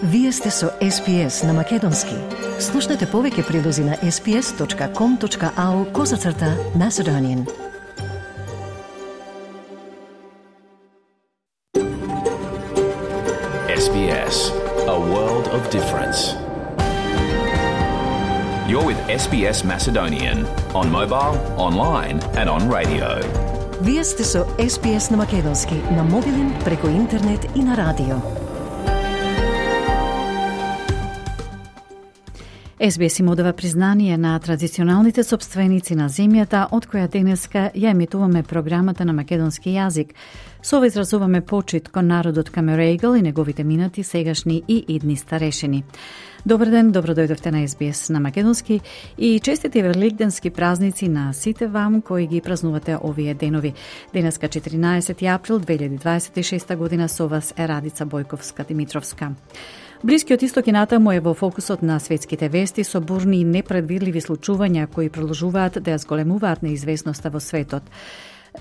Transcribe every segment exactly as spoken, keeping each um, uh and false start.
Вие сте со Ес Би Ес на Македонски. Слушнете повеќе прилози на ес би ес точка ком точка ау козацрта Macedonian. Ес Би Ес, a world of difference. You're with Ес Би Ес Macedonian on mobile, online and on radio. Вие сте со Ес Би Ес на Македонски, на мобилен, преку интернет и на радио. Ес Би Ес им одава признание на традиционалните сопственици на земјата, од која денеска ја емитуваме програмата на македонски јазик. Со ова изразуваме почит кон народот Камерегал и неговите минати, сегашни и идни старешини. Добар ден, добро дојдовте на Ес Би Ес на Македонски и честити великденски празници на сите вам кои ги празнувате овие денови. Денеска четиринаесети април две илјади дваесет и шеста година, со вас е Радица Бојковска-Димитровска. Блискиот исток и натаму е во фокусот на светските вести со бурни и непредвидливи случувања кои продолжуваат да ја зголемуваат неизвестноста во светот.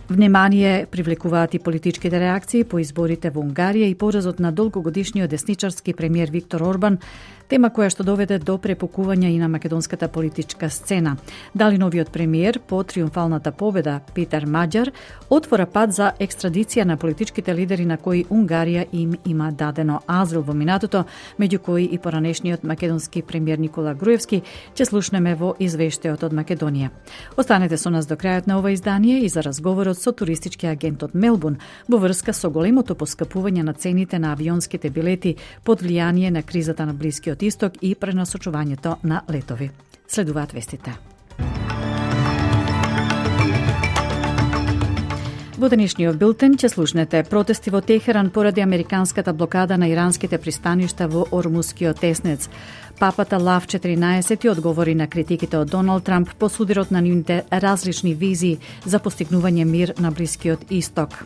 Внимание привлекуваат и политичките реакции по изборите во Унгарија и поразот на долгогодишниот десничарски премиер Виктор Орбан, тема која што доведе до препукување и на македонската политичка сцена. Дали новиот премиер по триумфалната победа Петар Маџар отвора пат за екстрадиција на политичките лидери на кои Унгарија им има дадено азил во минатото, меѓу кои и поранешниот македонски премиер Никола Груевски, ќе слушнеме во извештајот од Македонија. Останете со нас до крајот на ова издание и за разговорот со туристички агент од Мелбурн во врска со големото поскапување на цените на авионските билети под влијание на кризата на Блискиот Исток и пренасочувањето на летови. Следуваат вестите. Во денешниот билтен ќе слушнете протести во Техеран поради американската блокада на иранските пристаништа во Ормускиот теснец. Папата Лав четиринаесети одговори на критиките од Доналд Трамп по судирот на нивните различни визии за постигнување мир на Блискиот Исток.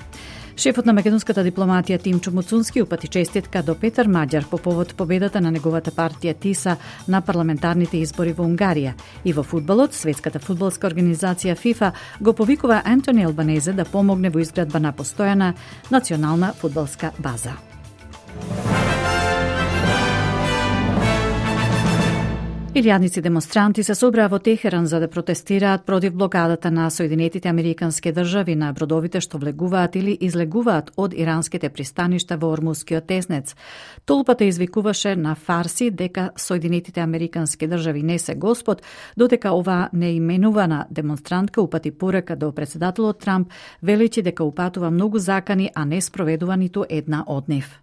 Шефот на македонската дипломатија Тимчо Муцунски упати честитка до Петар Маџар по повод победата на неговата партија ТИСА на парламентарните избори во Унгарија. И во фудбалот, светската фудбалска организација ФИФА го повикува Антони Албанезе да помогне во изградба на постојана национална фудбалска база. Илјадници демонстранти се собраа во Техеран за да протестираат против блокадата на Соединетите Американски држави на бродовите што влегуваат или излегуваат од иранските пристаништа во Ормускиот теснец. Толпата извикуваше на фарси дека Соединетите Американски држави не се господ, додека оваа неименувана демонстрантка упати порека до председателот Трамп, величи дека упатува многу закани, а не спроведува ниту една од нив.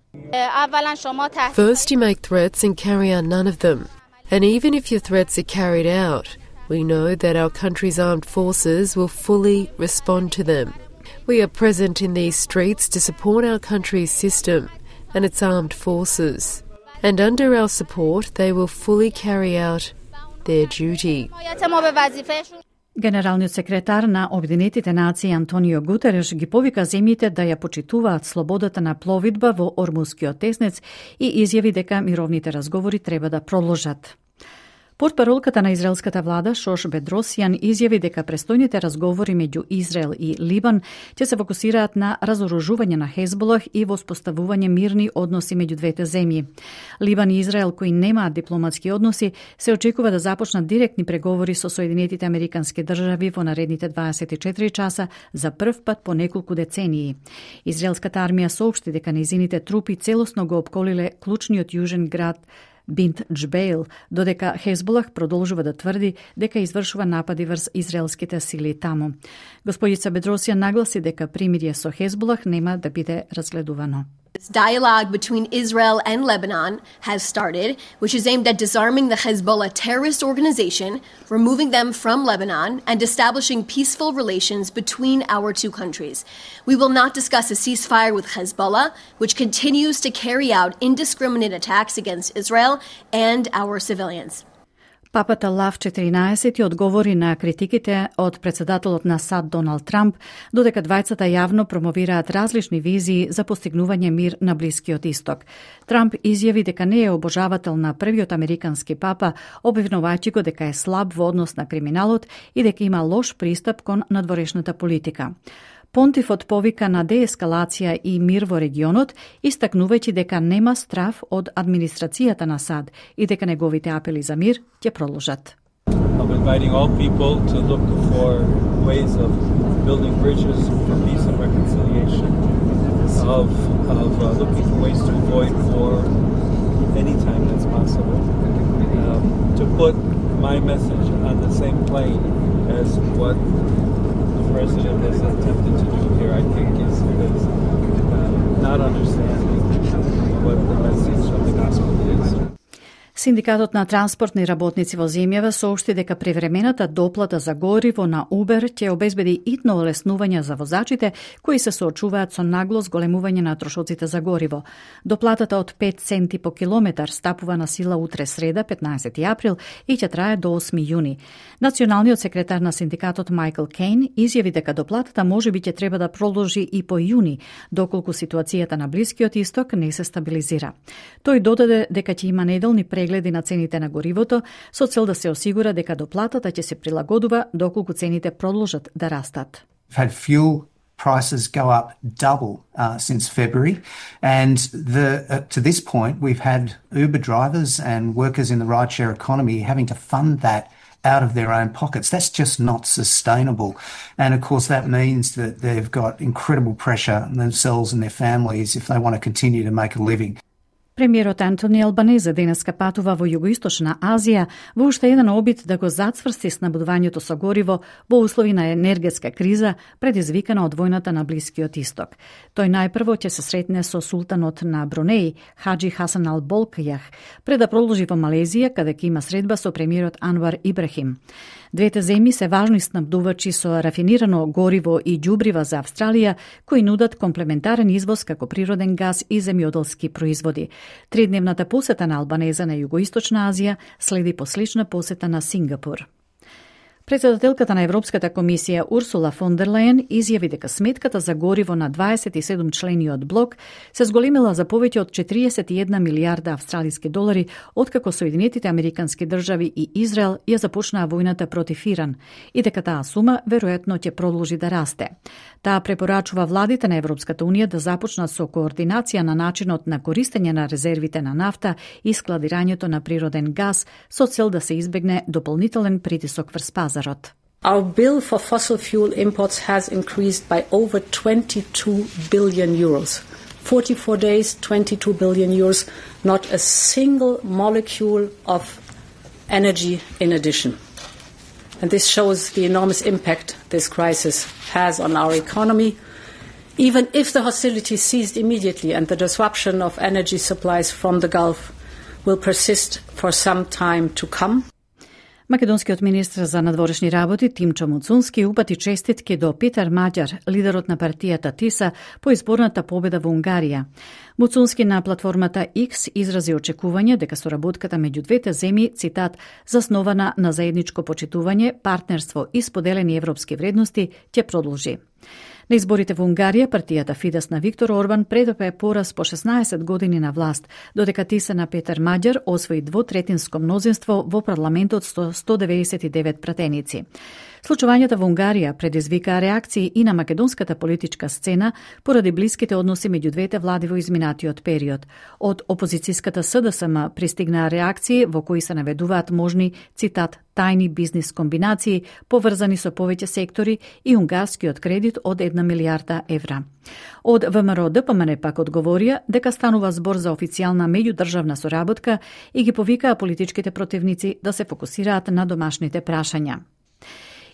First you make threats and carry out none of them. And even if your threats are carried out, we know that our country's armed forces will fully respond to them. We are present in these streets to support our country's system and its armed forces. And under our support, they will fully carry out their duty. Генералниот секретар на Обединетите нации Антонио Гутереш ги повика земјите да ја почитуваат слободата на пловидба во Ормускиот теснец и изјави дека мировните разговори треба да продолжат. Портпаролката на израелската влада Шош Бедросијан изјави дека престојните разговори меѓу Израел и Либан ќе се фокусираат на разоружување на Хезболах и воспоставување мирни односи меѓу двете земји. Либан и Израел, кои немаат дипломатски односи, се очекува да започнат директни преговори со Соединетите Американски држави во наредните дваесет и четири часа за прв пат по неколку децении. Израелската армија соопшти дека нејзините трупи целосно го опколиле клучниот јужен град Бинт Џбейл, додека Хезболах продолжува да тврди дека извршува напади врз израелските сили таму. Господица Бедросијан нагласи дека примирие со Хезболах нема да биде разгледувано. This dialogue between Israel and Lebanon has started, which is aimed at disarming the Hezbollah terrorist organization, removing them from Lebanon, and establishing peaceful relations between our two countries. We will not discuss a ceasefire with Hezbollah, which continues to carry out indiscriminate attacks against Israel and our civilians. Папата Лав четиринаесети одговори на критиките од председателот на САД Доналд Трамп, додека двајцата јавно промовираат различни визии за постигнување мир на Блискиот Исток. Трамп изјави дека не е обожавател на првиот американски папа, обвинувајќи го дека е слаб во однос на криминалот и дека има лош пристап кон надворешната политика. Понтифот повика на деескалација и мир во регионот, истакнувајќи дека нема страв од администрацијата на САД и дека неговите апели за мир ќе продолжат. I'm inviting all people to look for ways of building bridges for peace and reconciliation, of, of uh, looking for ways to avoid war anytime that's possible, um, to put my message on the same plane as what the President has attempted to do here, I think is, is uh, not understanding what the message of the gospel is. Синдикатот на транспортни работници во земјава соопшти дека превремената доплата за гориво на Uber ќе обезбеди итно олеснување за возачите кои се соочуваат со нагло зголемување на трошоците за гориво. Доплатата од пет центи по километар стапува на сила утре среда, петнаесети април и ќе трае до осми јуни. Националниот секретар на синдикатот Майкл Кейн изјави дека доплатата можеби ќе треба да продолжи и по јуни, доколку ситуацијата на Блискиот исток не се стабилизира. Тој додаде дека ќе има неделни прегледи на цените на горивото со цел да се осигура дека доплатата ќе се прилагодува доколку цените продолжат да растат. Had fuel prices go up double uh, since February, and the uh, to this point we've had Uber drivers and workers in the rideshare economy having to fund that out of their own pockets. That's just not sustainable. And of course that means that they've got incredible pressure on themselves and their families if they want to continue to make a living. Премиерот Антони Албанезе денеска патува во Југоисточна Азија во уште еден обид да го зацврсти снабдувањето со гориво во услови на енергетска криза предизвикана од војната на Блискиот исток. Тој најпрво ќе се сретне со султанот на Брунеј, Хаџи Хасан Ал Болкјах, пред да продолжи во Малезија, каде ќе има средба со премиерот Анвар Ибрахим. Двете земји се важни снабдувачи со рафинирано гориво и ѓубрива за Австралија, кои нудат комплементарен извоз како природен газ и земјоделски производи. Тридневната посета на Албанеза на Југоисточна Азија следи по слична посета на Сингапур. Председателката на Европската комисија Урсула фон дер Лајен изјави дека сметката за гориво на дваесет и седум члениот блок се зголемила за повеќе од четириесет и една милијарда австралиски долари откако Соединетите Американски држави и Израел ја започнаа војната против Иран и дека таа сума веројатно ќе продолжи да расте. Таа препорачува владите на Европската унија да започнат со координација на начинот на користење на резервите на нафта и складирањето на природен газ со цел да се избегне дополнителен притисок врз пазарот. Our bill for fossil fuel imports has increased by over twenty-two billion euros. forty-four days, twenty-two billion euros, not a single molecule of energy in addition. And this shows the enormous impact this crisis has on our economy. Even if the hostilities ceased immediately and the disruption of energy supplies from the Gulf will persist for some time to come. Македонскиот министр за надворешни работи Тимчо Муцунски упати честитки до Питер Маѓар, лидерот на партијата ТИСА, по изборната победа во Унгарија. Муцунски на платформата X изрази очекување дека соработката меѓу двете земји, цитат, заснована на заедничко почитување, партнерство и споделени европски вредности, ќе продолжи. На изборите во Унгарија, партијата Фидес на Виктор Орбан претрпе пораз по шеснаесет години на власт, додека ТИСА на Петер Маѓар освои двотретинско мнозинство во парламентот со сто деветдесет и девет пратеници. Случувањата во Унгарија предизвикаа реакции и на македонската политичка сцена поради блиските односи меѓу двете влади во изминатиот период. Од опозицијската СДСМ пристигнаа реакции во кои се наведуваат можни, цитат, тајни бизнис комбинации поврзани со повеќе сектори и унгарскиот кредит од една милијарда евра. Од ВМРО ДПМН пак одговорија дека станува збор за официјална меѓудржавна соработка и ги повикаа политичките противници да се фокусираат на домашните прашања.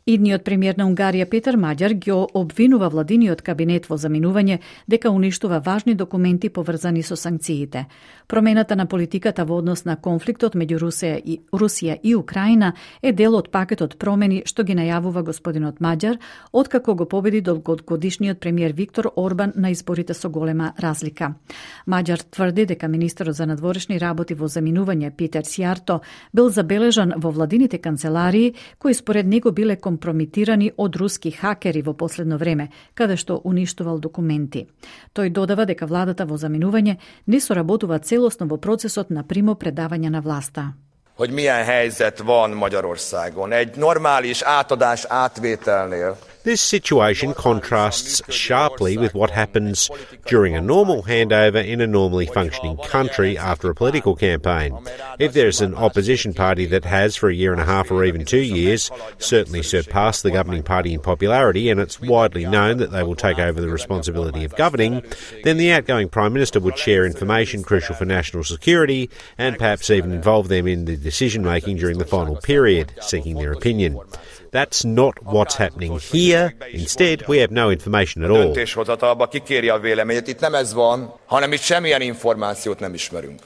Идниот премиер на Унгарија Петер Маѓар ги обвинува владиниот кабинет во заминување дека уништува важни документи поврзани со санкциите. Промената на политиката во однос на конфликтот меѓу Русија и Русија и Украина е дел од пакетот промени што ги најавува господинот Маѓар откако го победи долгогодишниот премиер Виктор Орбан на изборите со голема разлика. Маѓар тврди дека министерот за надворешни работи во заминување Питер Сјарто бил забележан во владините канцеларии кои според него биле компрометирани од руски хакери во последно време, каде што уништувал документи. Тој додава дека владата во заминување не соработува целосно во процесот на примо предавање на власта. Hogy milyen helyzet van Magyarországon. Egy normális átadás átvételnél This situation contrasts sharply with what happens during a normal handover in a normally functioning country after a political campaign. If there's an opposition party that has, for a year and a half or even two years, certainly surpassed the governing party in popularity, and it's widely known that they will take over the responsibility of governing, then the outgoing Prime Minister would share information crucial for national security and perhaps even involve them in the decision-making during the final period, seeking their opinion. That's not what's happening here. Instead, we have no information at all. Döntéshozatalba kikéri a véleményét. Itt nem ez van, hanem itt semmilyen információt nem ismerünk.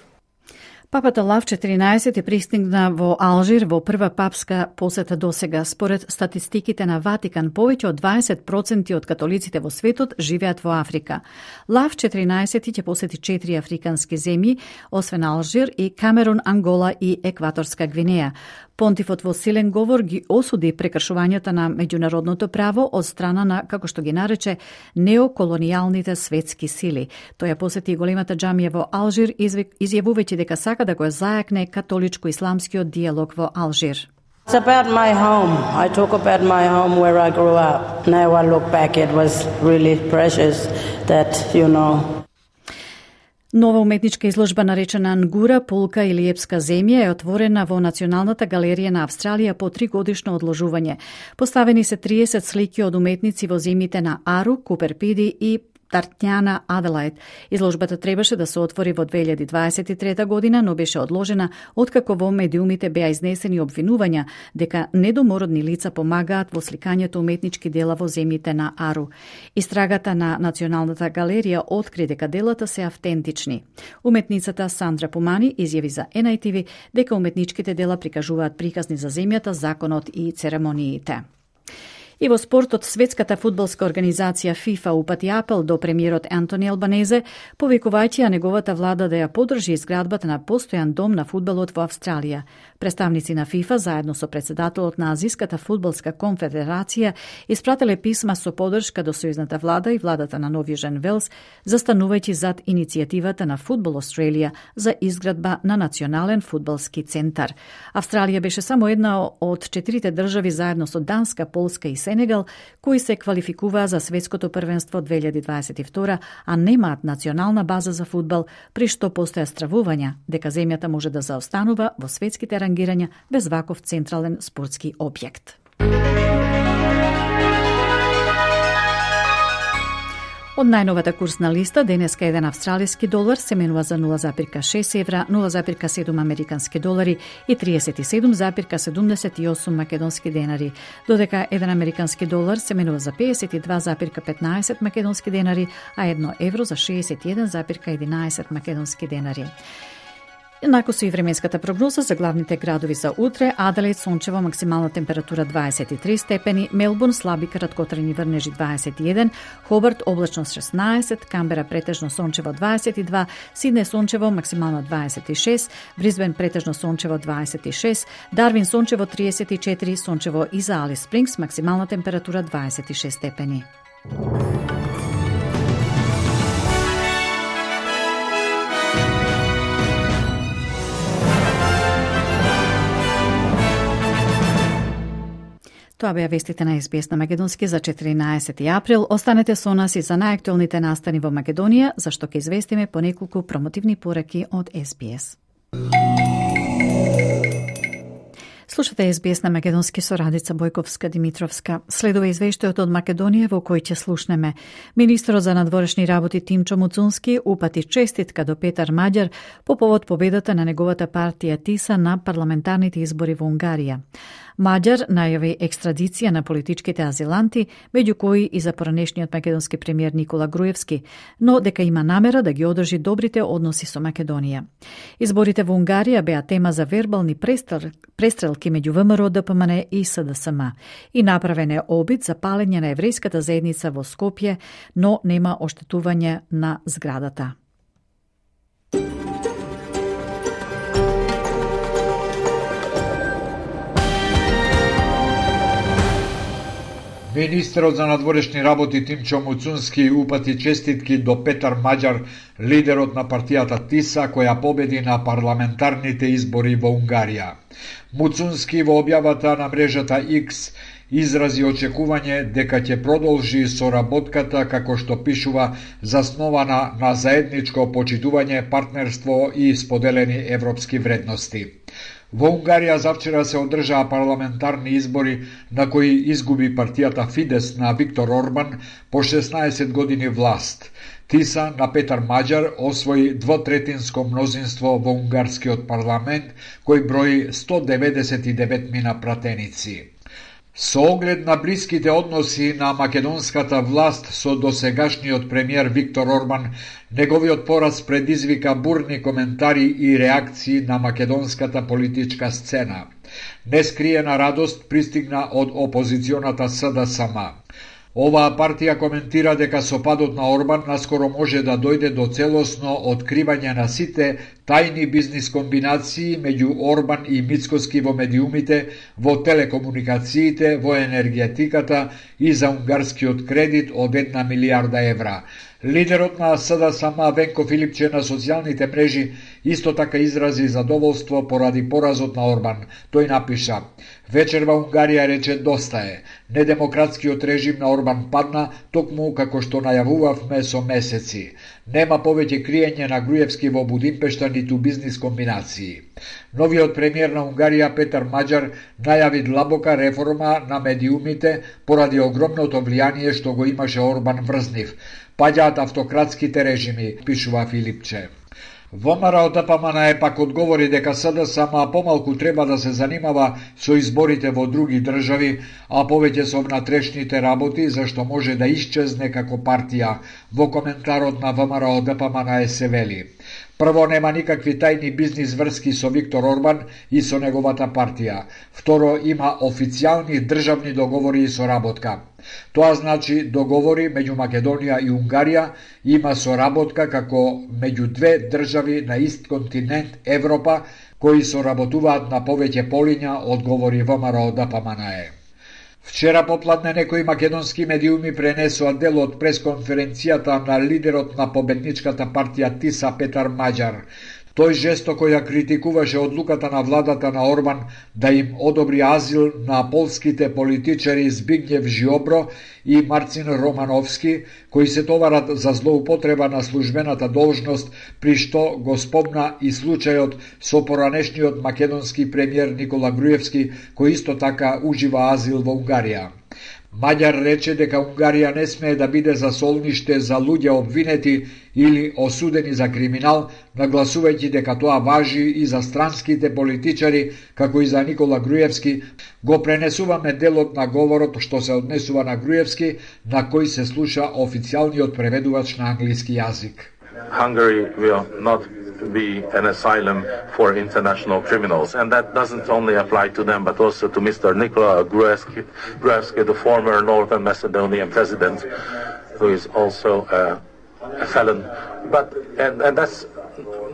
Папата Лав четиринаесети пристигна во Алжир во прва папска посета досега. Според статистиките на Ватикан, повеќе од дваесет проценти од католиците во светот живеат во Африка. Лав четиринаесети ќе посети четири африкански земји, освен Алжир и Камерун, Ангола и Екваторска Гвинеја. Понтифот во силен говор ги осуди прекршувањата на меѓународното право од страна на, како што ги нарече, неоколонијалните светски сили. Тој ја посети големата џамија во Алжир, изјавувајќи дека сака да го зајакне католичко-исламскиот диалог во Алжир. It's about my home. I talk about my home where I grew up. Now I look back, it was really precious that, you know, Нова уметничка изложба наречена Нгура, полка или епска земја е отворена во Националната галерија на Австралија по тригодишно одложување. Поставени се триесет слики од уметници во земјите на Ару, Куперпиди и Тартњана, Аделајд. Изложбата требаше да се отвори во две илјади дваесет и трета година, но беше одложена откако во медиумите беа изнесени обвинувања дека недомородни лица помагаат во сликањето уметнички дела во земјите на Ару. Истрагата на Националната галерија откри дека делата се автентични. Уметницата Сандра Помани изјави за Ен Ај Ти Ви дека уметничките дела прикажуваат приказни за земјата, законот и церемониите. И во спортот, светската фудбалска организација ФИФА упати апел до премиерот Антони Албанезе, повикувајќи ја неговата влада да ја поддржи изградбата на постојан дом на фудбалот во Австралија. Представници на ФИФА, заедно со председателот на Азиската фудбалска конфедерација, испрателе писма со поддршка до сојузната влада и владата на Нов Јужен Велс, застанувајќи зад иницијативата на Фудбал Австралија за изградба на национален фудбалски центар. Австралија беше само една од четирите држави заедно со Данска, Полска и Сенегал, кои се квалификуваа за светското првенство две илјади дваесет и втора, а немаат национална база за фудбал, при што постоја стравувања дека земјата може да заостанува во светските рангирања без ваков централен спортски објект. Од најновата курсна листа, денеска еден австралиски долар се менува за нула зарез шест евра, нула зарез седум американски долари и триесет и седум зарез седумдесет и осум македонски денари, додека еден американски долар се менува за пеесет и два зарез петнаесет македонски денари, а едно евро за шеесет и еден зарез единаесет македонски денари. Еднако со и временската прогноза за главните градови за утре: Аделаид сончево, максимална температура дваесет и три степени, Мелбурн слаби краткотрajни врнежи дваесет и еден, Хобарт облачно шеснаесет, Камбера претежно сончево дваесет и два, Сиднеј сончево, максимално дваесет и шест, Брисбен претежно сончево дваесет и шест, Дарвин сончево триесет и четири, сончево и за Алис Спрингс, максимална температура дваесет и шест степени. Тоа беа вестите на Ес Би Ес на Македонски за четиринаесети април. Останете со нас и за најактуелните настани во Македонија, зашто ќе известиме по неколку промотивни пораки од Ес Би Ес. Слушате Ес Би Ес на Македонски со Радица Бојковска-Димитровска. Следува извештајот од Македонија во кој ќе слушнеме. Министерот за надворешни работи Тимчо Муцунски упати честитка до Петар Маѓар по повод победата на неговата партија Тиса на парламентарните избори во Унгарија. Маѓар најави екстрадиција на политичките азиланти, меѓу кои и за поранешниот македонски премиер Никола Груевски, но дека има намера да ги одржи добрите односи со Македонија. Изборите во Унгарија беа тема за вербални престрелки меѓу Вэ Ем Р О, Д П М Н и С Д С М. И направен е обид за палење на еврејската заедница во Скопје, но нема оштетување на зградата. Министерот за надворешни работи Тимчо Муцунски упати честитки до Петар Маѓар, лидерот на партијата Тиса, која победи на парламентарните избори во Унгарија. Муцунски во објавата на мрежата Икс изрази очекување дека ќе продолжи соработката како што пишува заснована на заедничко почитување, партнерство и споделени европски вредности. Во Унгарија завчера се одржаа парламентарни избори на кои изгуби партијата Фидес на Виктор Орбан по шеснаесет години власт. Тиса на Петар Маџар освои двотретинско мнозинство во унгарскиот парламент, кој брои сто деветдесет и девет мина пратеници. Со оглед на блиските односи на македонската власт со досегашниот премиер Виктор Орбан, неговиот пораз предизвика бурни коментари и реакции на македонската политичка сцена. Нескриена радост пристигна од опозиционата С Д С М. Оваа партија коментира дека со падот на Орбан наскоро може да дојде до целосно откривање на сите тајни бизнис комбинации меѓу Орбан и Мицкоски во медиумите, во телекомуникациите, во енергетиката и за унгарскиот кредит од една милијарда евра. Лидерот на С Д С М Венко Филипче на социјалните мрежи исто така изрази задоволство поради поразот на Орбан. Тој напиша: "Вечер во Унгарија рече доста е. Недемократскиот режим на Орбан падна, токму како што најавувавме со месеци. Нема повеќе криење на Груевски во Будимпешта ниту бизнис комбинации." Новиот премиер на Унгарија Петар Маџар најави длабока реформа на медиумите поради огромното влијание што го имаше Орбан врз нив. Паѓаат автократските режими, пишува Филипче. ВМРО Д П М Н Е пак одговори дека С Д С М помалку треба да се занимава со изборите во други држави, а повеќе со внатрешните работи, зашто може да исчезне како партија. Во коментарот на ВМРО Д П М Н Е се вели: "Прво, нема никакви тајни бизнис врски со Виктор Орбан и со неговата партија. Второ, има официјални државни договори и соработка. Тоа значи договори меѓу Македонија и Унгарија, има соработка како меѓу две држави на ист континент Европа, кои соработуваат на повеќе полиња", одговори ВМРО Д П М Н Е. Вчера попладне некои македонски медиуми пренесоа дел од пресконференцијата на лидерот на победничката партија Тиса Петар Маџар. Тој жестоко ја критикуваше одлуката на владата на Орбан да им одобри азил на полските политичари Збигњев Жиобро и Марцин Романовски, кои се товарат за злоупотреба на службената должност, при што го спомна и случајот со поранешниот македонски премиер Никола Груевски, кој исто така ужива азил во Унгарија. Маѓар рече дека Унгарија не смее да биде засолниште за луѓе обвинети или осудени за криминал, нагласувајќи дека тоа важи и за странските политичари, како и за Никола Груевски. Го пренесуваме делот на говорот што се однесува на Груевски, на кој се слуша официјалниот преведувач на англиски јазик. Hungary will not be an asylum for international criminals, and that doesn't only apply to them but also to Mister Nikola Gruevski, Gruevski, the former Northern Macedonian president, who is also a, a felon. But and, and that's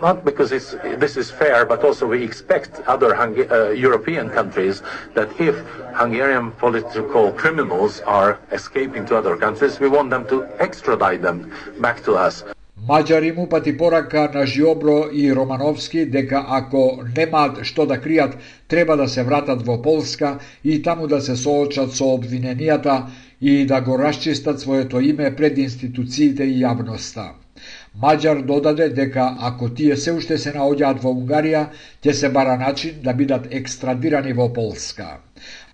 not because it's, this is fair, but also we expect other Hunga- uh, European countries that if Hungarian political criminals are escaping to other countries, we want them to extradite them back to us. Маđар им упати порака на Жиобро и Романовски дека ако немаат што да кријат, треба да се вратат во Полска и таму да се соочат со обвиненијата и да го расчистат своето име пред институциите и јавноста. Маđар додаде дека ако тие се уште се наоѓаат во Унгарија, ќе се бара начин да бидат екстрадирани во Полска.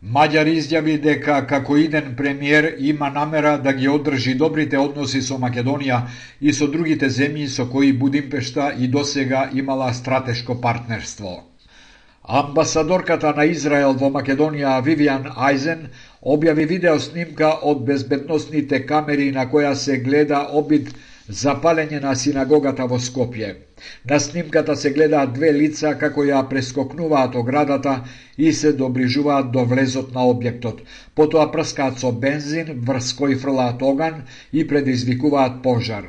Маđар изјави дека како иден премиер има намера да ги одржи добрите односи со Македонија и со другите земји со кои Будимпешта и досега имала стратешко партнерство. Амбасадорката на Израел во Македонија Вивиан Ајзен објави видео снимка од безбедносните камери на која се гледа обид за палење на синагогата во Скопје. На снимката се гледаат две лица како ја прескокнуваат оградата и се доближуваат до влезот на објектот. Потоа прскаат со бензин, врз кој фрлаат оган и предизвикуваат пожар.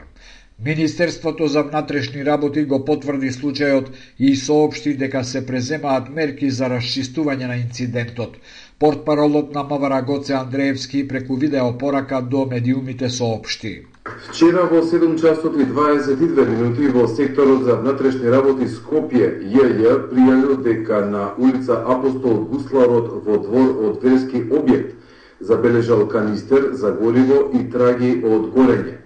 Министерството за внатрешни работи го потврди случајот и соопшти дека се преземаат мерки за расчистување на инцидентот. Портпаролот на МВР Гоце Андреевски преку видеопорака до медиумите соопшти: Вчера во седум часот и дваесет и две минути во секторот за внатрешни работи Скопје Ј Ј пријавил дека на улица Апостол Гусларот во двор од верски објект забележал канистер за гориво и траги од горење.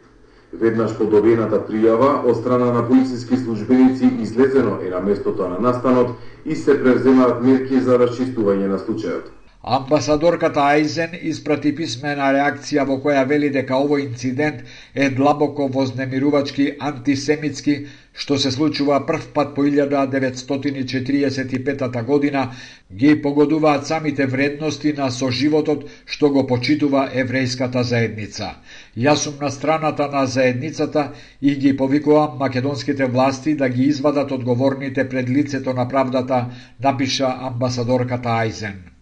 Веднаш по добиената пријава, од страна на полициски службеници излезено е на местото на настанот и се превземаат мерки за расчистување на случајот. Амбасадорката Ајзен испрати писмена реакција во која вели дека овој инцидент е длабоко вознемирувачки, антисемитски, што се случува прв пат по илјада деветстотини четириесет и пета година, ги погодуваат самите вредности на соживотот што го почитува еврејската заедница. Јас сум на страната на заедницата и ги повикувам македонските власти да ги извадат одговорните пред лицето на правдата, напиша амбасадорката Ајзен.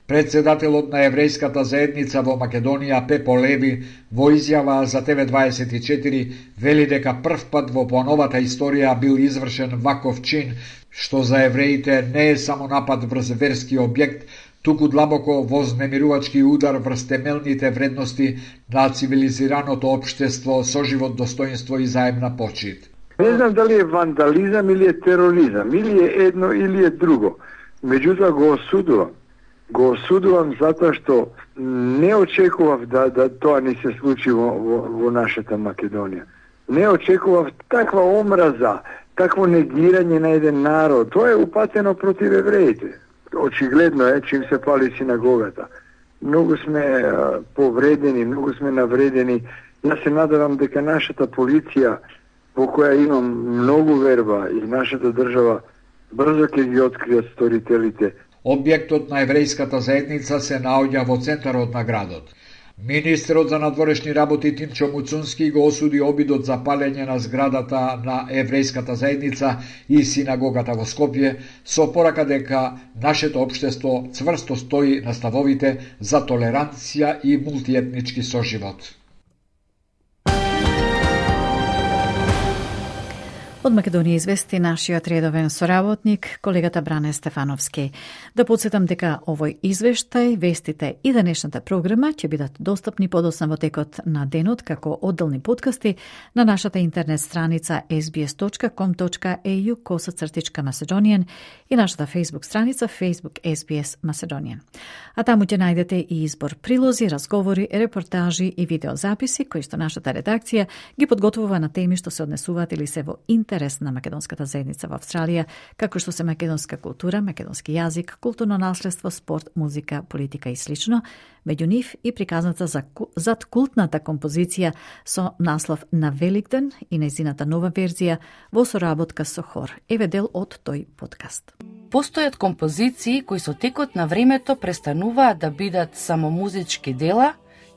Председателот на еврејската заедница во Македонија Пепо Леви во изјава за Т В дваесет и четири вели дека прв пат во поновата историја бил извршен ваков чин, што за евреите не е само напад врз верски објект, туку длабоко вознемирувачки удар врз темелните вредности на цивилизираното општество, соживот, достоинство и заемна почит. Не знам дали е вандализам или е тероризам, или е едно или е друго. Меѓутоа го осудувам. Го осудувам затоа што не очекував да, да тоа не се случи во, во, во нашата Македонија. Не очекував таква омраза, такво негирање на еден народ. Тоа е упатено против евреите. Очигледно е, чим се пали синагогата. Многу сме а, повредени, многу сме навредени. Јас се надевам дека нашата полиција, во која имам многу верба, и нашата држава брзо ќе ги откријат сторителите. Објектот на еврејската заедница се наоѓа во центарот на градот. Министерот за надворешни работи Тимчо Муцунски го осуди обидот за палење на зградата на еврејската заедница и синагогата во Скопје, со порака дека нашето општество цврсто стои на ставовите за толеранција и мултиетнички соживот. Од Македонија извести нашиот редовен соработник, колегата Бране Стефановски. Да подсетам дека овој извештај, вестите и денешната програма ќе бидат достапни подоцна во текот на денот како одделни подкасти на нашата интернет страница ес би ес точка ком точка е ю косацртичка Macedonian и нашата Facebook страница Facebook ес би ес Macedonian. А таму ќе најдете и избор прилози, разговори, репортажи и видеозаписи кои што нашата редакција ги подготвува на теми што се однесуваат или се во интерес на македонската заедница во Австралија, како што се македонска култура, македонски јазик, културно наследство, спорт, музика, политика и слично, меѓу нив и приказната за зад култната композиција со наслов На Великден и нејзината нова верзија во соработка со хор. Еве дел од тој подкаст. Постојат композиции кои со текот на времето престануваат да бидат само музички дела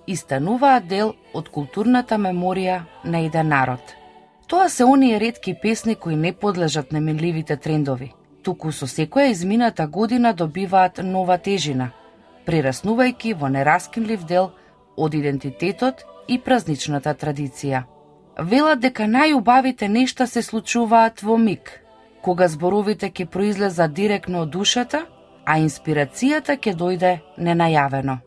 и стануваат дел од културната меморија на еден народ. Тоа се оние ретки песни кои не подлежат на минливите трендови, туку со секоја измината година добиваат нова тежина, прераснувајќи во нераскинлив дел од идентитетот и празничната традиција. Велат дека најубавите нешта се случуваат во миг, кога зборовите ќе произлезат директно од душата, а инспирацијата ќе дојде ненајавено.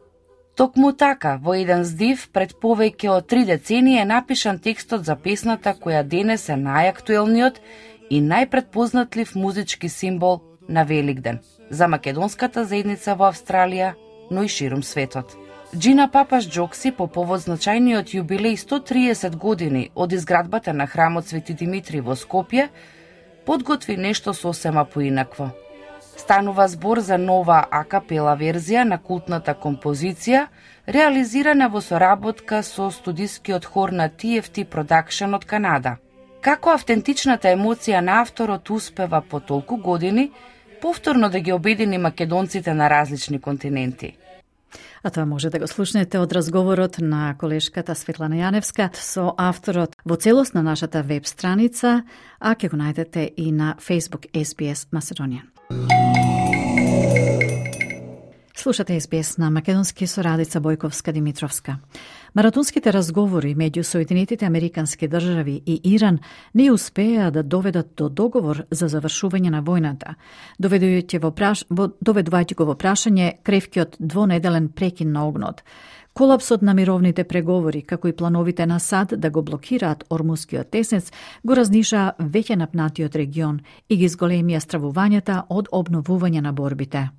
Токму така, во еден здив пред повеќе од три децении е напишан текстот за песната која денес е најактуелниот и најпретпознатлив музички символ на Великден за македонската заедница во Австралија, но и ширум светот. Джина Папаш Джокси по повод значајниот јубилеј сто триесет години од изградбата на храмот Свети Димитри во Скопје, подготви нешто сосема поинакво. Станува збор за нова акапела верзија на култната композиција, реализирана во соработка со студискиот хор на Ти Еф Ти Production од Канада. Како автентичната емоција на авторот успева по толку години, повторно да ги обедини македонците на различни континенти. А тоа може да го слушнете од разговорот на колешката Светлана Јаневска со авторот во целост на нашата веб страница, а ќе го најдете и на Facebook ес би ес Macedonian. Слушате ес би ес на македонски со Радица Бојковска-Димитровска. Маратонските разговори меѓу Соединетите Американски држави и Иран не успеа да доведат до договор за завршување на војната, доведувајќи во праш... доведувајќи го во прашање кревкиот двонеделен прекин на огнот. Колапсот на мировните преговори, како и плановите на САД да го блокираат Ормускиот теснец, го разнишаа веќе напнатиот регион и ги зголемија стравувањата од обновување на борбите.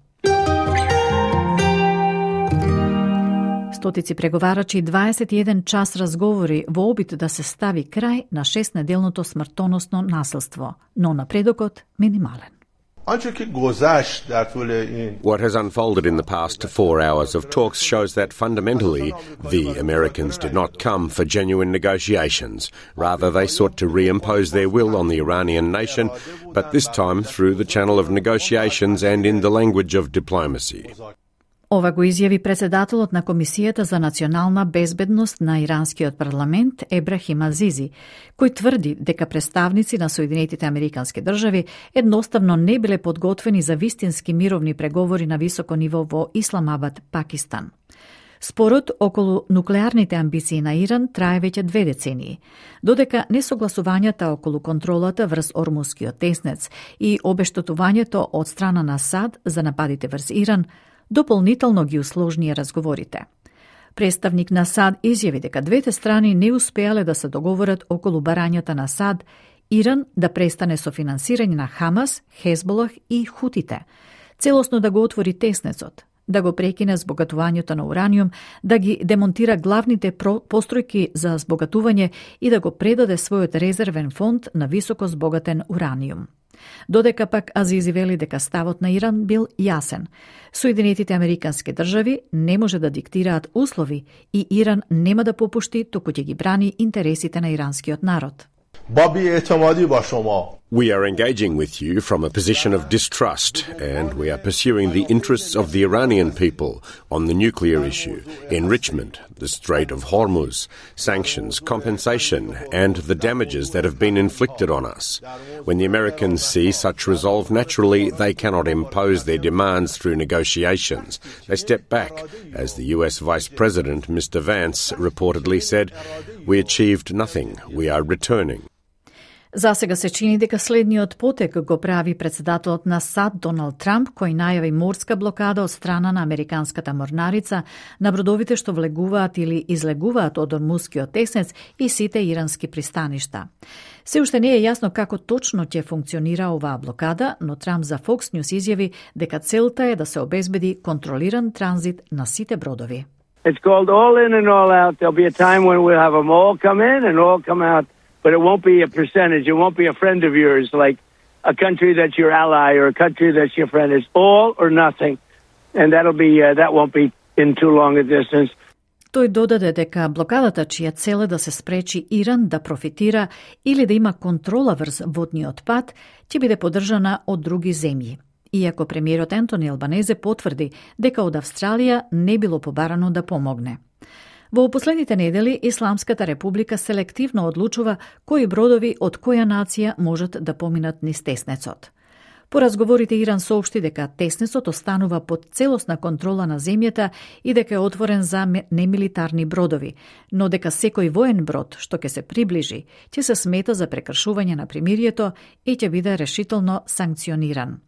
Стотици преговарачи и дваесет и еден час разговори во обид да се стави крај на шестнеделното смртоносно насилство, но напредокот минимален. What has unfolded in the past four hours of talks shows that fundamentally the Americans did not come for genuine negotiations. Rather, they sought to reimpose their will on the Iranian nation, but this time through the channel of negotiations and in the language of diplomacy. Ова го изјави председателот на Комисијата за национална безбедност на иранскиот парламент Ебрахим Азизи, кој тврди дека представници на Соединетите Американски држави едноставно не биле подготвени за вистински мировни преговори на високо ниво во Исламабад, Пакистан. Спорот околу нуклеарните амбиции на Иран трае веќе две децении, додека несогласувањата околу контролата врз Ормускиот теснец и обештетувањето од страна на САД за нападите врз Иран дополнително ги усложнија разговорите. Представник на САД изјави дека двете страни не успеале да се договорат околу барањата на САД Иран да престане со финансирање на Хамас, Хезболах и Хутите, целосно да го отвори теснецот, да го прекине збогатувањето на ураниум, да ги демонтира главните постројки за збогатување и да го предаде својот резервен фонд на високо збогатен ураниум. Додека пак Азизи вели дека ставот на Иран бил јасен. Соединетите Американски држави не може да диктираат услови и Иран нема да попушти, туку ќе ги брани интересите на иранскиот народ. We are engaging with you from a position of distrust, and we are pursuing the interests of the Iranian people on the nuclear issue, enrichment, the Strait of Hormuz, sanctions, compensation, and the damages that have been inflicted on us. When the Americans see such resolve, naturally they cannot impose their demands through negotiations. They step back. As the U S Vice President, Mister Vance, reportedly said, "We achieved nothing. We are returning." За сега се чини дека следниот потек го прави председателот на САД Доналд Трамп, кој најави морска блокада од страна на американската морнарица на бродовите што влегуваат или излегуваат од Ормускиот теснец и сите ирански пристаништа. Се уште не е јасно како точно ќе функционира оваа блокада, но Трамп за Fox News изјави дека целта е да се обезбеди контролиран транзит на сите бродови. It's called all in and all out. There'll be a time when we'll have them all come in and all come out. But it won't be a percentage. It won't be a friend of yours, like a country that's your ally or a country that's your friend. It's all or nothing, and that'll be uh, that won't be in too long a distance. Тој додаде дека блокадата, чија цел е да се спречи Иран да профитира или да има контрола врз водниот пат, ќе биде поддржана од други земји. Иако премиерот Ентони Албанезе потврди дека од Австралија не било побарано да помогне. Во последните недели Исламската република селективно одлучува кои бродови од која нација можат да поминат низ теснецот. По разговорите Иран соопшти дека теснецот останува под целосна контрола на земјата и дека е отворен за немилитарни бродови, но дека секој воен брод што ќе се приближи ќе се смета за прекршување на примирието и ќе биде решително санкциониран.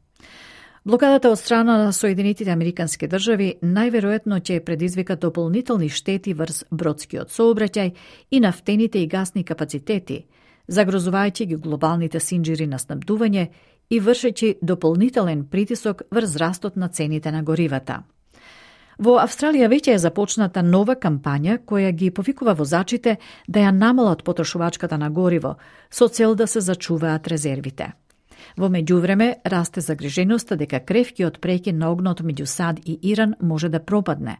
Блокадата од страна на Соединетите Американски држави најверојатно ќе предизвика дополнителни штети врз бродскиот сообраќај и нафтените и гасни капацитети, загрозувајќи ги глобалните синџири на снабдување и вршејќи дополнителен притисок врз растот на цените на горивата. Во Австралија веќе е започната нова кампања која ги повикува возачите да ја намалат потрошувачката на гориво со цел да се зачуваат резервите. Во меѓувреме, расте загриженоста дека кревкиот прекин на огнот меѓу САД и Иран може да пропадне,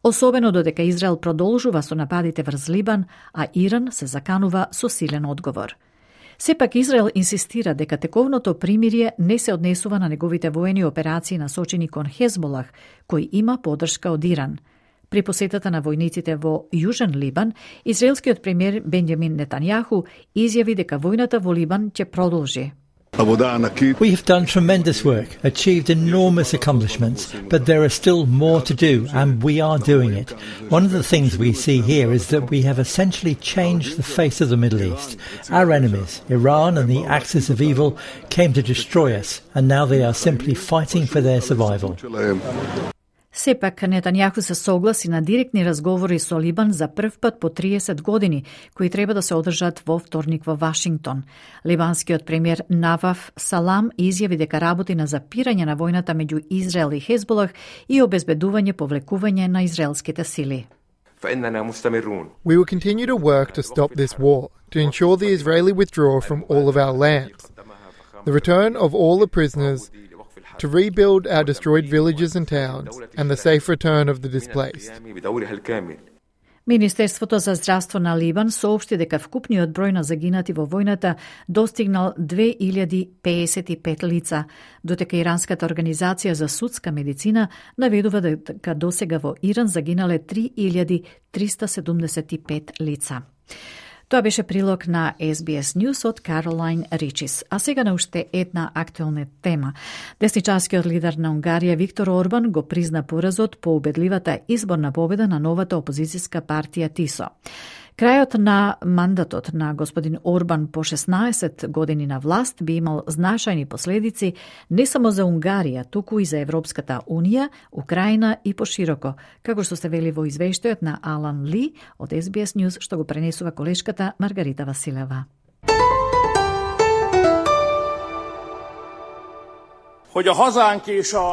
особено додека Израел продолжува со нападите врз Либан, а Иран се заканува со силен одговор. Сепак Израел инсистира дека тековното примирие не се однесува на неговите воени операции насочени кон Хезболах, кој има поддршка од Иран. При посетата на војниците во Јужен Либан, израелскиот премиер Бенјамин Нетањаху изјави дека војната во Либан ќе продолжи. We have done tremendous work, achieved enormous accomplishments, but there are still more to do, and we are doing it. One of the things we see here is that we have essentially changed the face of the Middle East. Our enemies, Iran and the axis of evil, came to destroy us, and now they are simply fighting for their survival. Сепак, Нетањаху се согласи на директни разговори со Либан за прв пат по триесет години, кои треба да се одржат во вторник во Вашингтон. Либанскиот премиер Наваф Салам изјави дека работи на запирање на војната меѓу Израел и Хезболах и обезбедување повлекување на израелските сили. We will continue to work to stop this war, to ensure the Israeli withdrawal from all of our lands, the return of all the prisoners, to rebuild our destroyed villages and towns, and the safe return of the displaced. Министерството за здравство на Либан соопшти дека вкупниот број на загинати во војната достигнал две илјади пеесет и пет лица, додека Иранската организација за судска медицина наведува дека досега во Иран загинале три илјади триста седумдесет и пет лица. Тоа беше прилог на Ес Би Ес News од Каролайн Ричис. А сега на уште една актуелна тема. Десничарскиот лидер на Унгарија Виктор Орбан го призна поразот по убедливата изборна победа на новата опозицијска партија ТИСО. Крајот на мандатот на господин Орбан по шеснаесет години на власт би имал значајни последици не само за Унгарија, туку и за Европската Унија, Украина и пошироко, како што се вели во извештајот на Алан Ли од Ес Би Ес News, што го пренесува колешката Маргарита Василева.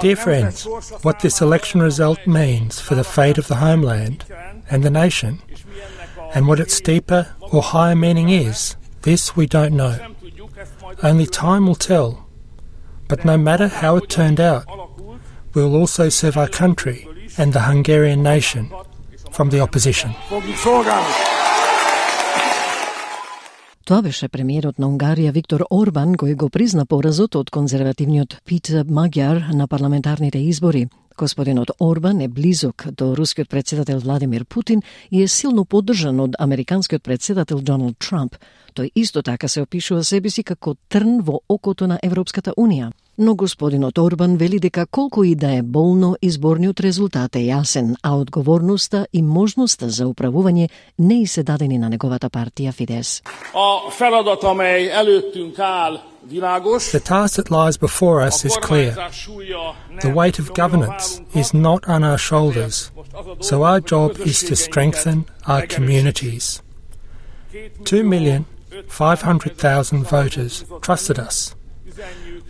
Dear friends, what this election result means for the fate of the homeland and the nation, and what its deeper or higher meaning is, this we don't know. Only time will tell. But no matter how it turned out, we will also serve our country and the Hungarian nation from the opposition. Тоа беше премиерот на Унгарија Виктор Орбан, кој го призна поразот од конзервативниот Питер Маѓар на парламентарните избори. Господинот Орбан е близок до рускиот председател Владимир Путин и е силно поддржан од американскиот председател Доналд Трамп. Тој исто така се опишува себе си како трн во окото на Европската Унија. Но господинот Орбан вели дека колку и да е болно, изборниот резултат е јасен, а одговорноста и можноста за управување не и се дадени на неговата партија Фидес. The task that lies before us is clear. The weight of governance is not on our shoulders, so our job is to strengthen our communities. Two million five hundred thousand voters trusted us.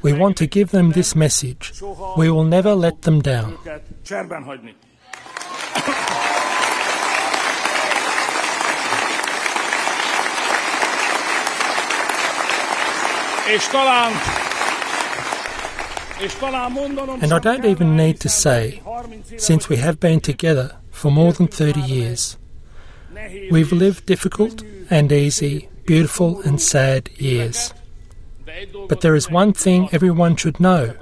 We want to give them this message. We will never let them down. And I don't even need to say, since we have been together for more than thirty years, we've lived difficult and easy, beautiful and sad years. But there is one thing everyone should know,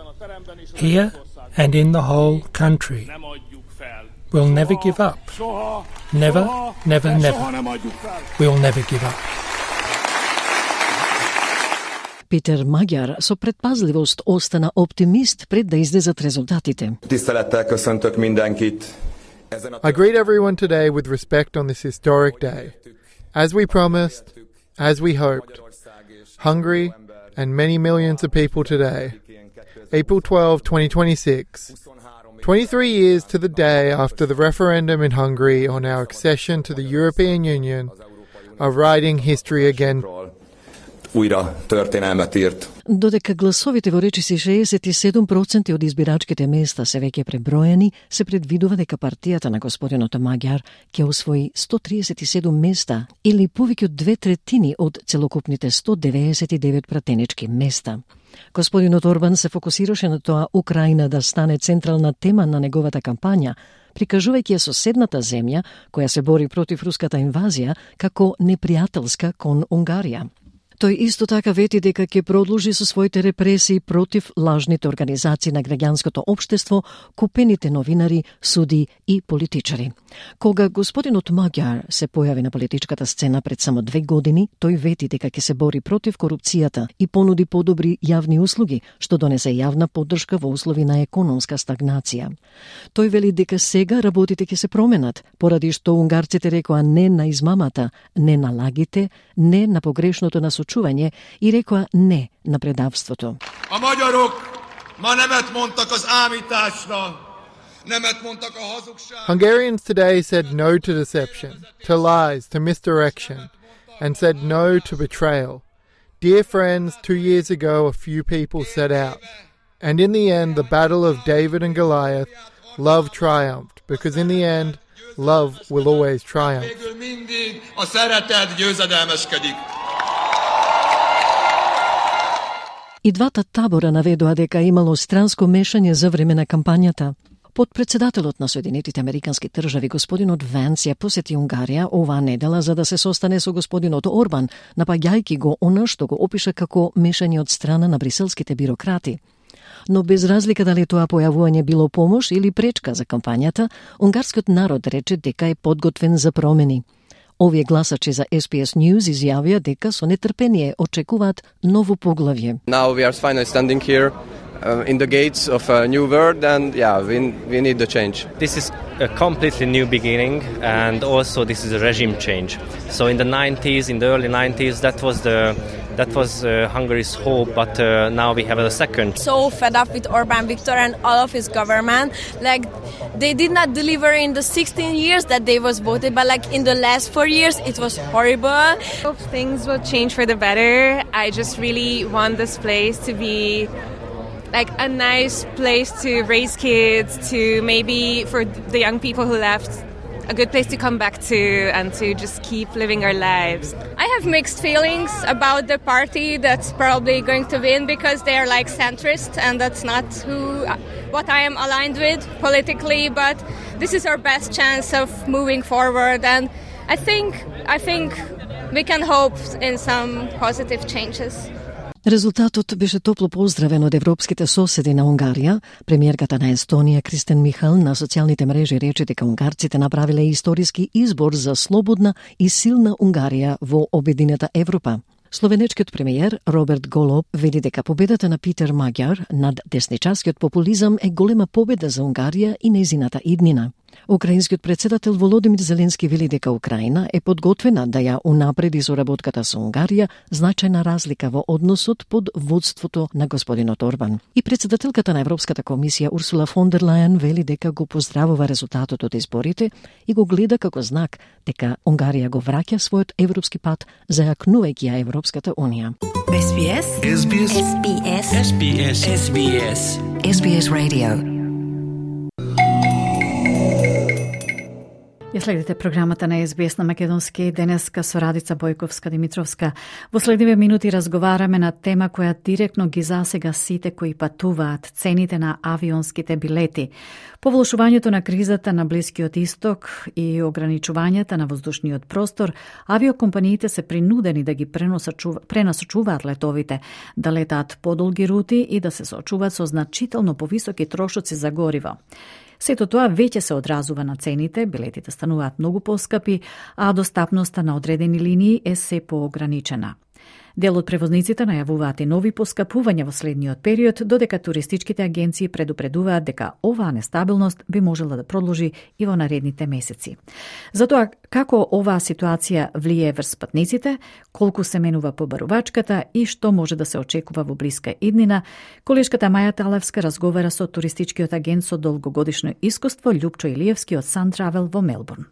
here and in the whole country. We'll never give up. Never, never, never. We'll never give up. Питер Маѓар со предпазливост остана оптимист пред да излезат резултатите. I greet everyone today with respect on this historic day. As we promised, as we hoped, Hungary and many millions of people today, April twelfth, twenty twenty-six, twenty-three years to the day after the referendum in Hungary on our accession to the European Union, are writing history again. Додека гласовите во речиси шеесет и седум проценти од избирачките места се веќе преброени, се предвидува дека партијата на господинот Маѓар ќе освои сто триесет и седум места или повеќе од две третини од целокупните сто деветдесет и девет пратенички места. Господинот Орбан се фокусираше на тоа Украина да стане централна тема на неговата кампања, прикажувајќи ја соседната земја која се бори против руската инвазија како непријателска кон Унгарија. Тој исто така вети дека ќе продолжи со своите репресии против лажните организации на граѓанското општество, купените новинари, суди и политичари. Кога господинот Маѓар се појави на политичката сцена пред само две години, тој вети дека ќе се бори против корупцијата и понуди подобри јавни услуги, што донесе јавна поддршка во услови на економска стагнација. Тој вели дека сега работите ќе се променат, поради што унгарците рекоа не на измамата, не на лагите, не на погрешното насочување и рекоа не на предавството. A magyarok ma nemet mondtak az ámításra. Nemet mondtak a hazugságra. Hungarians today said no to deception, to lies, to misdirection, and said no to betrayal. Dear friends, two years ago a few people set out. And in the end, the battle of David and Goliath, love triumphed, because in the end, love will always triumph. Végül mindig a szeretet győzedelmeskedik. И двата табора наведоа дека имало странско мешање за време на кампањата. Подпредседателот на Соединетите Американски држави господинот Венс ја посети Унгарија оваа недела за да се состане со господинот Орбан, напаѓајќи го она што го опиша како мешање од страна на бриселските бирократи. Но без разлика дали тоа појавување било помош или пречка за кампањата, унгарскиот народ рече дека е подготвен за промени. Овие гласачи за Ес Би Ес News изјавија дека со нетрпение очекуваат ново поглавје. Now we are finally standing here uh, in the gates of a new world and yeah, we we need the change. This is a completely new beginning and also this is a regime change. So in the nineties, in the early nineties, that was the That was uh, Hungary's hope, but uh, now we have a second. So fed up with Orbán Viktor and all of his government. Like, they did not deliver in the sixteen years that they was voted, but like in the last four years, it was horrible. Hope things will change for the better. I just really want this place to be like a nice place to raise kids, to maybe for the young people who left, a good place to come back to and to just keep living our lives. I have mixed feelings about the party that's probably going to win because they are like centrist and that's not who what I am aligned with politically, but this is our best chance of moving forward and I think I think we can hope in some positive changes. Резултатот беше топло поздравен од европските соседи на Унгарија. Премиерката на Естонија Кристен Михал на социјалните мрежи рече дека унгарците направиле историски избор за слободна и силна Унгарија во обединета Европа. Словенечкиот премиер Роберт Голоб вели дека победата на Питер Маѓар над десничарскиот популизам е голема победа за Унгарија и нејзината иднина. Украинскиот председател Володимир Зеленски вели дека Украина е подготвена да ја унапреди соработката со Унгарија, значајна разлика во односот под водството на господинот Орбан. И председателката на Европската комисија Урсула фон дер Лајен вели дека го поздравува резултатот од изборите и го гледа како знак дека Унгарија го враќа својот европски пат, зајакнувајќи ја Европската унија. Ес Би Ес Ес Би Ес Ес Би Ес Ес Би Ес Ес Би Ес Ес Би Ес Radio. Ја следите програмата на Ес Би Ес на македонски денеска со Радица Бојковска-Димитровска. Во следниве минути разговараме на тема која директно ги засега сите кои патуваат, цените на авионските билети. По влошувањето на кризата на Блискиот Исток и ограничувањата на воздушниот простор, авиокомпаниите се принудени да ги пренасочуваат летовите, да летаат подолги рути и да се соочуваат со значително повисоки трошоци за гориво. Сето тоа веќе се одразува на цените, билетите стануваат многу поскапи, а достапноста на одредени линии е се поограничена. Дел од превозниците најавуваат и нови поскапувања во следниот период, додека туристичките агенции предупредуваат дека оваа нестабилност би можела да продолжи и во наредните месеци. Затоа, како оваа ситуација влие врз патниците, колку се менува побарувачката и што може да се очекува во блиска иднина, колешката Маја Талевска разговара со туристичкиот агент со долгогодишно искуство Љупчо Илиевски од Sun Travel во Мелбурн.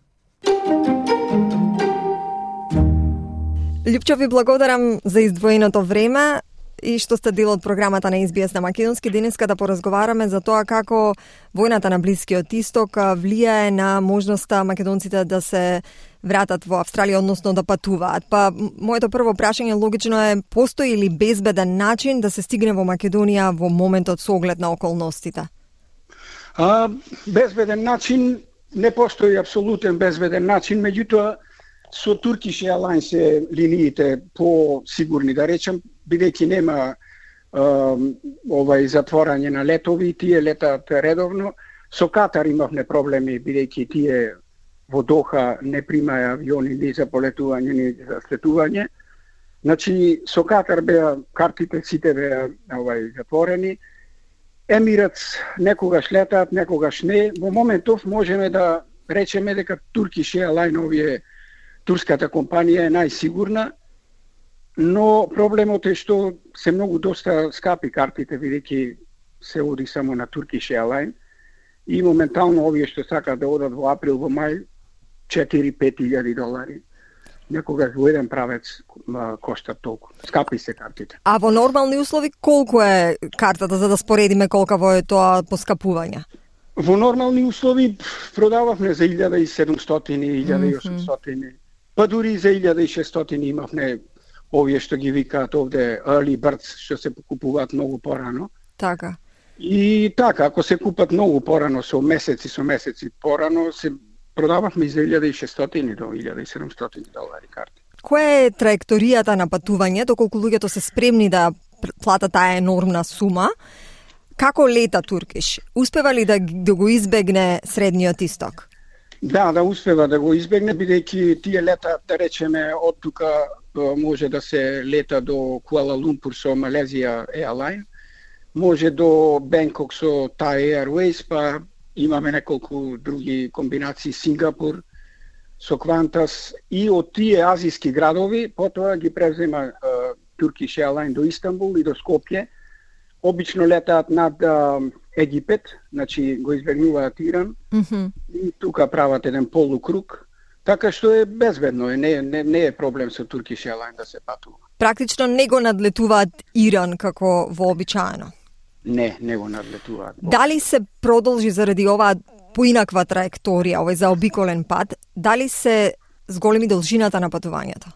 Љупчо, ви благодарам за издвоеното време и што сте дел од програмата на Ес Би Ес на македонски. Денеска да поразговараме за тоа како војната на Блискиот Исток влијае на можноста македонците да се вратат во Австралија, односно да патуваат. Па, моето прво прашање логично е, постои ли безбеден начин да се стигне во Македонија во моментот со оглед на околностите? А, безбеден начин не постои апсолутен безбеден начин, меѓутоа со Turkish Airlines е линиите по-сигурни, да речем, бидејќи нема е, овај затворање на летови, тие летаат редовно. Со Катар имавме проблеми, бидејќи тие во Доха не примаја авиони ни за полетување, ни за слетување. Значи, со Катар беа картите сите беа овај затворени. Емиратс некогаш летаат, некогаш не. Во моментов можеме да речеме дека Turkish Airlines, овие турската компанија е најсигурна, но проблемот е што се многу доста скапи картите, бидејќи се оди само на Turkish Airlines и моментално овие што сакаат да одат во април, во мај, четири-пет илјади долари. Некогаш во еден правец коштат толку. Скапи се картите. А во нормални услови колку е картата, за да споредиме колкаво е тоа поскапување? Во нормални услови продававме за илјада и седумстотини, илјада и осумстотини, па дури и за илјада и шестстотини имавме овие што ги викаат овде early birds, што се покупуваат многу порано. Така. И така, ако се купат многу порано, со месеци, со месеци порано, се продававме и за илјада и шестстотини до илјада и седумстотини долари карти. Која е траекторијата на патувањето, колку луѓето се спремни да платат таа енормна сума? Како лета Туркиш? Успева ли да, да го избегне Средниот Исток? Да, да успева да го избегне, бидејќи тие лета, да речеме, од тука може да се лета до Куала Лумпур со Малезија Airline, може до Бенкок со Thai Airways, па имаме неколку други комбинации, Сингапур со Qantas, и од тие азиски градови потоа ги превзема uh, Turkish Airline до Истанбул и до Скопје. Обично летаат над uh, Египет, значи го избегнуваат Иран, mm-hmm. и тука прават еден полукруг, така што е безбедно, не, не, не е проблем со Turkish Airline да се патува. Практично не го надлетуваат Иран како вообичаено? Не, не го надлетуваат. Дали се продолжи заради оваа поинаква траекторија, овој заобиколен пат, дали се зголеми должината на патувањето?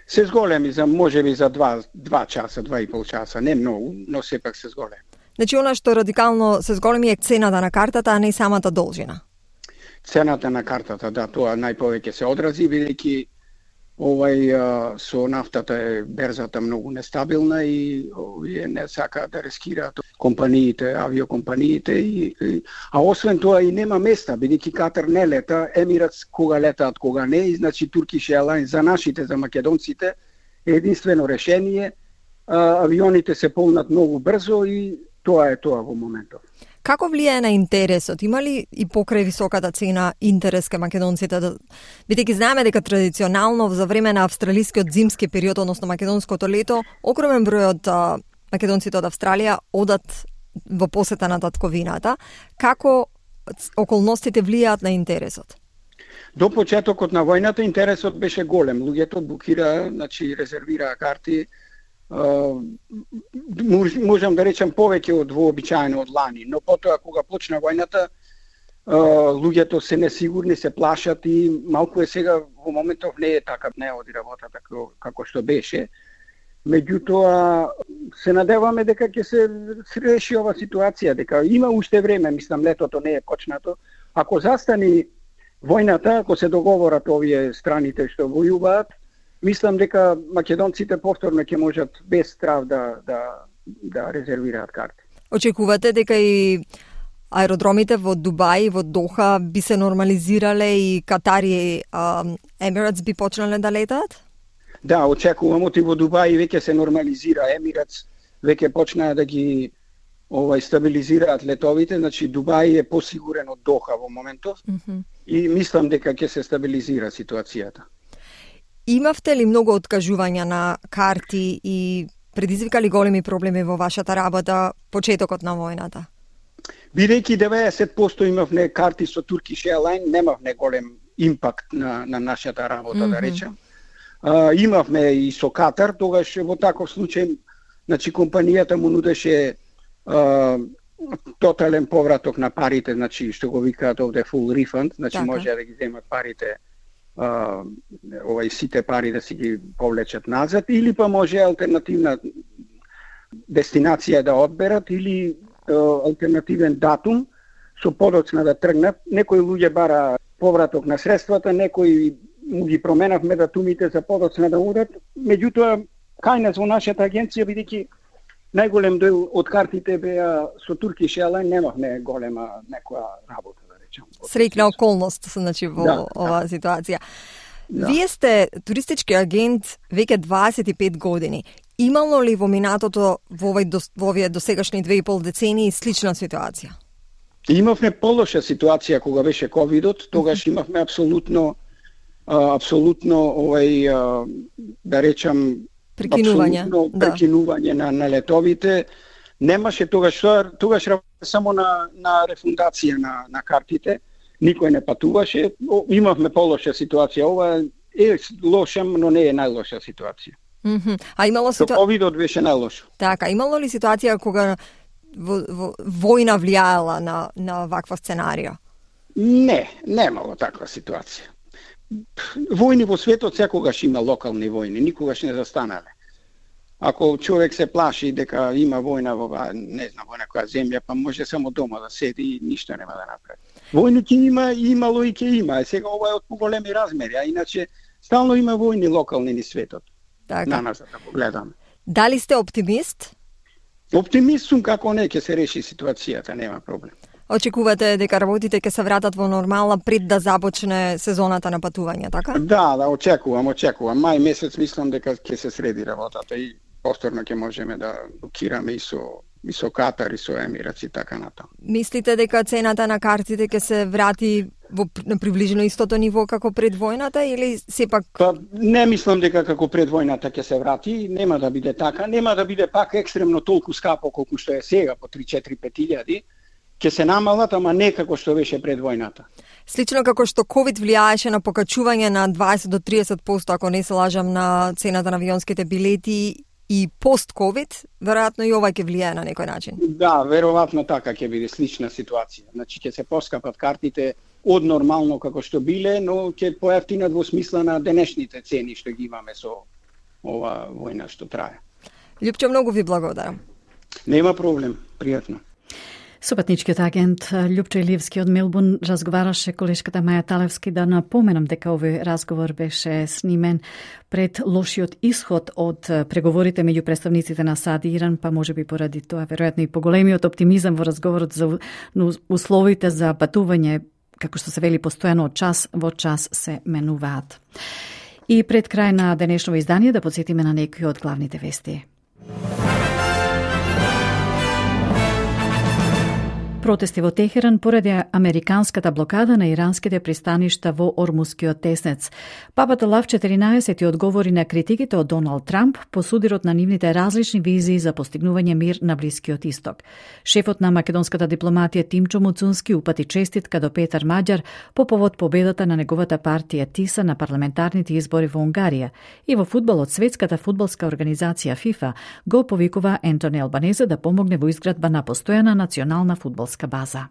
Се зголеми за можеби за два, два часа, два и пол часа, не многу, но сепак се зголеми. Значи она што радикално се зголеми е цената на картата, а не самата должина. Цената на картата, да, тоа најповеќе се одрази, бидејќи овај а, со нафтата е берзата многу нестабилна и овие не сакаат да рискираат компаниите, авиокомпаниите и, и а освен тоа и нема места, бидејќи Катар не лета, Емиратс кога летаат, кога не, и значи Turkish Airlines за нашите, за македонците е единствено решение. А, авионите се полнат многу брзо и тоа е тоа во моментов. Како влијае на интересот? Има ли и покрај високата цена интерес кај македонците? Да... Бидејќи знаеме дека традиционално за време на австралискиот зимски период, односно македонското лето, огромен број од а, македонците од Австралија одат во посета на татковината. Како околностите влијаат на интересот? До почетокот на војната интересот беше голем. Луѓето букираа, значи резервираа карти. Uh, можам да речам повеќе од вообичаено од лани, но потоа кога почна војната, uh, луѓето се несигурни, се плашат и малку е сега во моментов не е така, не оди работата како, како што беше. Меѓутоа се надеваме дека ќе се реши ова ситуација, дека има уште време, мислам летото не е почнато. Ако застани војната, ако се договорат овие страните што војуваат, мислам дека македонците повторно ќе можат без страв да, да, да резервираат карти. Очекувате дека и аеродромите во Дубај, во Доха би се нормализирале и Катар и Емиратс би почнале да летаат? Да, очекувам, оти во Дубај веќе се нормализира, Емиратс веќе почнаа да ги овај стабилизираат летовите, значи Дубај е посигурен од Доха во моментов, mm-hmm. и мислам дека ќе се стабилизира ситуацијата. Имавте ли многу откажувања на карти и предизвика ли големи проблеми во вашата работа почетокот на војната? Бидејќи деветдесет проценти имавме карти со Turkish Airlines, немавме голем импакт на, на нашата работа, mm-hmm. да речем. А, имавме и со Катар, тогаш во таков случај, значи компанијата му нудеше а, тотален повраток на парите, значи што го викаат овде full refund, значи така. Може да ги земат парите, Uh, овај сите пари да си ги повлечат назад, или па може алтернативна дестинација да одберат, или uh, алтернативен датум со подоцна да тргнат. Некои луѓе бара повраток на средствата, некои му ги променавме датумите за подоцна да одат. Меѓутоа, кај нас во нашата агенција, бидејќи најголем дел од картите беа со Turkish Airlines, немавме голема некоја работа. Среќна околност, значи, во да, оваа да. Ситуација. Да. Вие сте туристички агент веќе дваесет и пет години. Имало ли во минатото во овој во овие досегашни две и пол децении слична ситуација? Имавме полоша ситуација кога беше ковидот, тогаш имавме апсолутно апсолутно овај да речам прекинување, да. прекинување на, на летовите. Немаше тогаш, тогаш само на, на рефундација на, на картите, никој не патуваше, имавме полоша ситуација, ова е лоша, но не е најлоша ситуација. Mm-hmm. А имало ситуација... Ковидот беше најлошо. Така, имало ли ситуација кога во, во, војна влијаела на, на ваква сценарија? Не, немало таква ситуација. Војни во светот секогаш има локални војни, никогаш не застанале. Ако човек се плаши дека има војна во, не знам, во некоја земја, па може само дома да седи и ништо нема да направи. Војни ќе има, имало и ќе има. Сега ова е од поголеми размери, а иначе стално има војни локални ни светот. Така. На нас да погледаме. Дали сте оптимист? Оптимист сум, како не ќе се реши ситуацијата, нема проблем. Очекувате дека работите ќе се вратат во нормална пред да започне сезоната на патување, така? Да, да, очекувам, очекувам. Мај месец мислам дека ќе се среди работата и повторно ќе можеме да букираме и со и со Катар и со Емираци така натаму. Мислите дека цената на картите ќе се врати во на приближно истото ниво како пред војната или сепак? Па не мислам дека како пред војната ќе се врати, нема да биде така, нема да биде пак екстремно толку скапо колку што е сега по три четири пет илјади. Ќе се намалат, ама не како што беше пред војната. Слично како што ковид влијаеше на покачување на дваесет до тридесет проценти, ако не се лажам, на цената на авионските билети и пост-ковид, веројатно и ова ќе влијае на некој начин. Да, веројатно така ќе биде слична ситуација. Значи ќе се поскапат картите од нормално како што биле, но ќе поевтинат во смисла на денешните цени што ги имаме со ова војна што трае. Љупчо, многу ви благодарам. Нема проблем, пријатно. Со патничкиот агент Љупчо Илиевски од Мелбурн разговараше колешката Маја Талевски. Да напоменам дека овој разговор беше снимен пред лошиот исход од преговорите меѓу представниците на САД и Иран, па може би поради тоа веројатно и поголемиот оптимизам во разговорот за условите за патување, како што се вели постојано од час во час се менуваат. И пред крај на денешново издание да подсетиме на некои од главните вести. Протести во Техеран поради американската блокада на иранските пристаништа во Ормускиот теснец. Папата Лав четиринаесет одговори на критиките од Доналд Трамп по судирот на нивните различни визии за постигнување мир на Блискиот Исток. Шефот на македонската дипломатија Тимчо Муцунски упати честитка до Петар Маѓар по повод победата на неговата партија ТИСА на парламентарните избори во Унгарија. И во фудбалот светската фудбалска организација ФИФА го повикува Ентони Албанезе да помогне во изградба на постојана национална фудбалска база.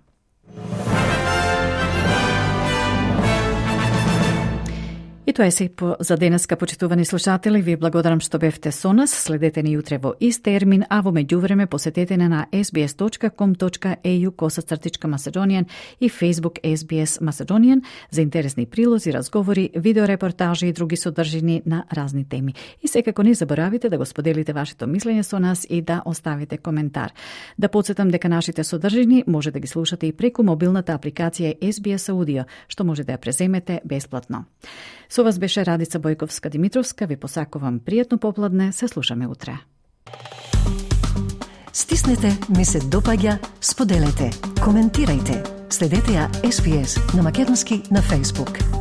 И тоа е се за денеска, почитувани слушатели. Ви благодарам што бевте со нас. Следете ни утре во ист термин, а во меѓувреме посетете не на ес би ес точка ком точка ей ю косацртичка Macedonian и Facebook ес би ес Macedonian за интересни прилози, разговори, видеорепортажи и други содржини на разни теми. И секако не заборавите да го споделите вашето мислење со нас и да оставите коментар. Да подсетам дека нашите содржини може да ги слушате и преку мобилната апликација ес би ес Audio, што може да ја преземете бесплатно. Со вас беше Радица Бојковска-Димитровска. Ви посакувам пријатно попладне. Се слушаме утре. Стиснете, ми се допаѓа, споделете, коментирајте. Следете ја ес би ес на македонски на Facebook.